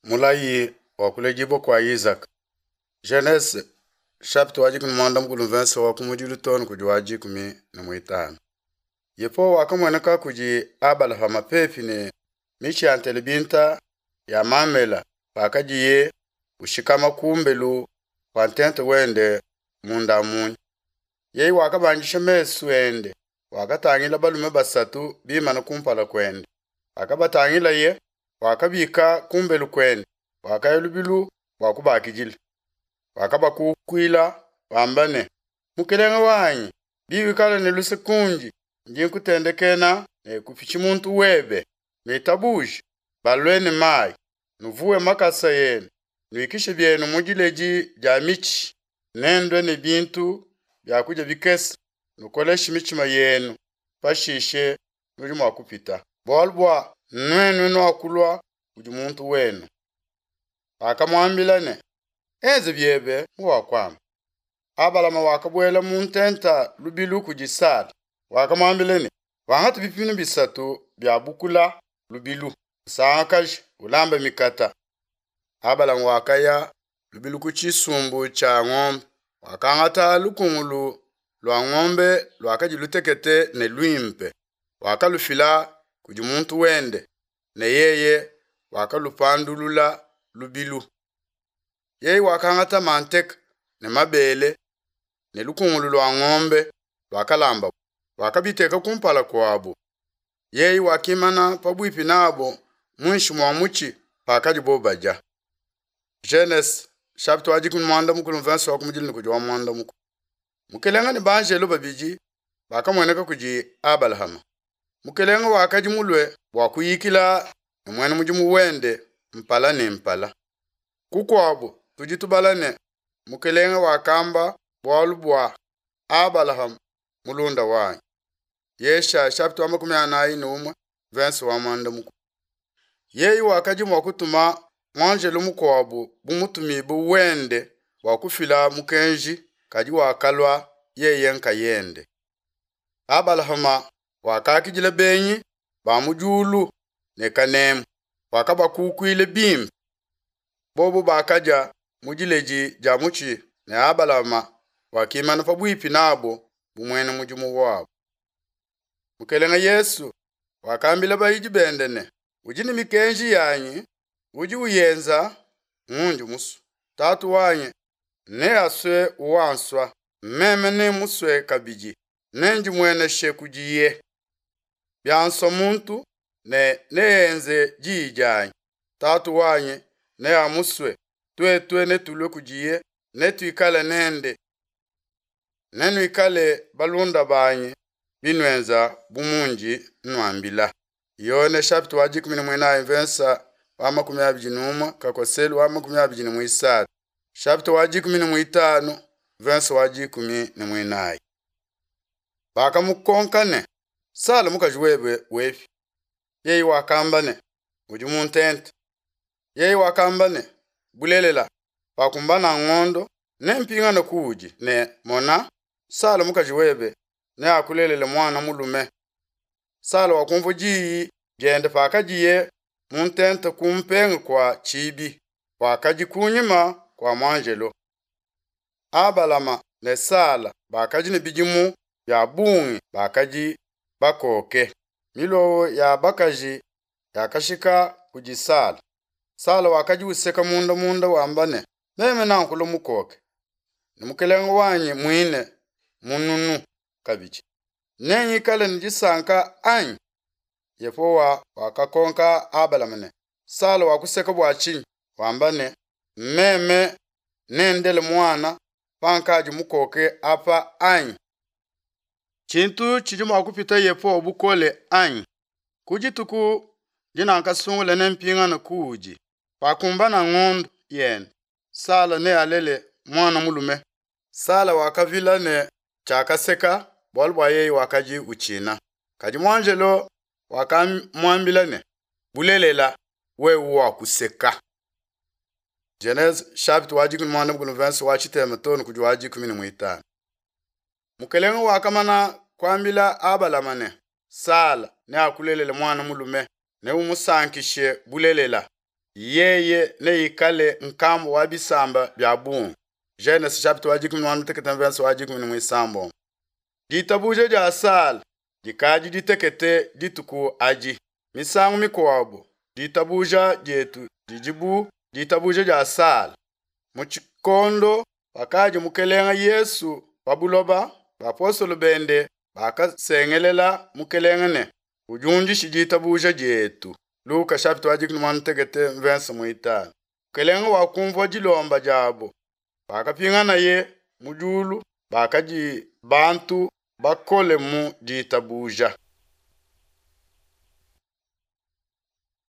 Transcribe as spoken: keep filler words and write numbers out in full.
Mulayi wa kuledibua kua Izaka. Genese chapitre wa dikumi muanda mukulu mvense wa kumudilu too ne kudi wa dikumi ne muitanu. Yehowa wakamueneka kudi Abalahama pepi ne mitshi ya ntelebinta ya Mamela pakadiye ushikama kumbelu kua ntenta wende munda munya. Yeye wakabandisha mesu ende, wakatangila balume basatu bimane kumpala kuende. Pakabatangilaye, wakabika kumbelu kuende, wakaya lubilu bua kubakidila. Wakabakukuila wamba ne, Mukelenge wanyi, biwikala ne luse kundi, ndi nkutendekena ne kupitshi muntu webe. Nuitabuje balue ne mayi, nuvuwe makasa enu, nuikishe bienu mu diledi dia mitshi, nendue ne bintu bia kudia bikese, nukoleshe mitshima yenu, pashishe nudi mua kupita. Bualu bua nuenu nuakulua kudi muntu wenu. Bakamuambila ne, enze biebe muwakuamba. Abalama wakabuela mu ntenta lubilu kudi Sala. Wakamuambila ne, wangata bipiminu bisatu bia bukula lubilu, usangakaje, ulambe mikata. Abalama wakaya lubilu ku tshisumbu tshia ngombe, wakangata lukungulu lua ngombe luakadi lutekete ne luimpe, wakalufila kudi muntu wende, ne yeye wakalupandulula lubilu. Yeye wakangata manteka ne mabele ne lukungulu lua ngombe luakalamba, wakabiteka kumpala kuabo. Yeye wakimana pabuipi nabo muinshi mua mutshi pakadibo badia. Genese chapitre wa dikumi muanda mukulu mvense wa kumudilu ne kudi wa muanda mukulu. Mukelenge ne banjelo babidi bakamueneka kudi Abalahama. Mukelenge wakadi mulue bua kuyikila ne muena mudimu wende mpala ne mpala. Kukuabo tudi tubala ne Mukelenge wakamba bualu bua Abalahama mulunda wanyi. Yesha chapitre wa makumi anayi ne umue verse wa muanda mukulu. Yeye wakadi mua kutuma muanjelo mukuabu bu mutumibue wende bua kufila mukenji, kadi wakalua yeye nkayende. Abalahama wakakidila benyi ba mu diulu ne kanemu, wakabakukuila bimpe. Bobo bakadia mu diledi dia mutshi ne Abalahama wakimana pabuipi nabo bu muena mudimu wabo. Mukelenge Yesu wakambila bayidi bende ne, udi ne mikenji yanyi, udi uyenza ngundi musue. Tatu wanyi neasue uwansua, meme nemusue kabidi, nendimueneshe kudiye. Biansua muntu ne neenze diyi dianyi, Tatu wanyi neamusue, tuetu netulue kudiye, netuikale nende. Nenuikale balunda banyi binuenza bu mundi nnuambila. Yone chapitre wa dikumi ne muinayi mvensa wa makumi abidi ne umue kakoselu wa makumi abidi ne muisatu. Chapitre wa dikumi ne muitanu mvensa wa dikumi ne muinayi. Bakamukonka ne, Sala mukaji webe wepi? Yeye wakamba ne, udi mu ntenta. Yeye wakamba ne, bulelela, pakumbana ngondo nempingane kuudi ne mona, Sala mukaji webe neakulelele mwana mulume. Sala wakumvua diyi diende pakadiye mu ntenta kumpenga kua tshibi, wakadi kunyima kua muanjelo. Abalama ne Sala bakadi ne bidimu bia bungi, bakadi bakoke. Milowo ya bakaji yakashika kudi Sala. Sala wakadi useka munda munda wamba ne, meme nankulu mukoke ne mukelenge wanyi muine mununu kabidi, nengikale ne disanka anyi? Yehowa wakakonka Abalama ne, Sala wakuseka bua tshinyi? Wamba ne, meme nendele muana pankadi mukoke apa anyi? Tshintu tshidi mua kupita Yehowa bukole anyi? Ku dituku dinankasungula nempingane kuudi, pakumbana ngondo yende, Sala nealele muana mulume. Sala wakavila ne tshiakaseka bualu bua yeye wakadi utshina. Kadi muanjelo wakamuambila ne, bulelela wewe wakuseka. Genese chapitre wa dikumi muanda mukulu verse wa tshitema too ne kudi wa dikumi ne muitanu. Mukelenge wakamana kuambila Abalama ne, Sala neakulelele muana mulume, neumusankishe bulelela. Yeye neikale nkambua wa bisamba bia bungi. Genese chapitre wa dikumi ne muanda mutekete verse wa dikumi ne muisambombo. Ditabuja dia Sala dikadi ditekete dituku adi. Misangu mikuabo ditabuja dietu didi bu ditabuja dia Sala. Mu tshikondo pakadi Mukelenge Yesu pa buloba, bapostolo bende bakasengelela Mukelenge ne, Udiundishe ditabuja dietu. Luka chapitre wa dikumi ne muanda mutekete verse muitanu. Mukelenge wakumvua dilomba diabo. Pakapinganaye mu diulu, bakadi bantu bakole mu ditabuja.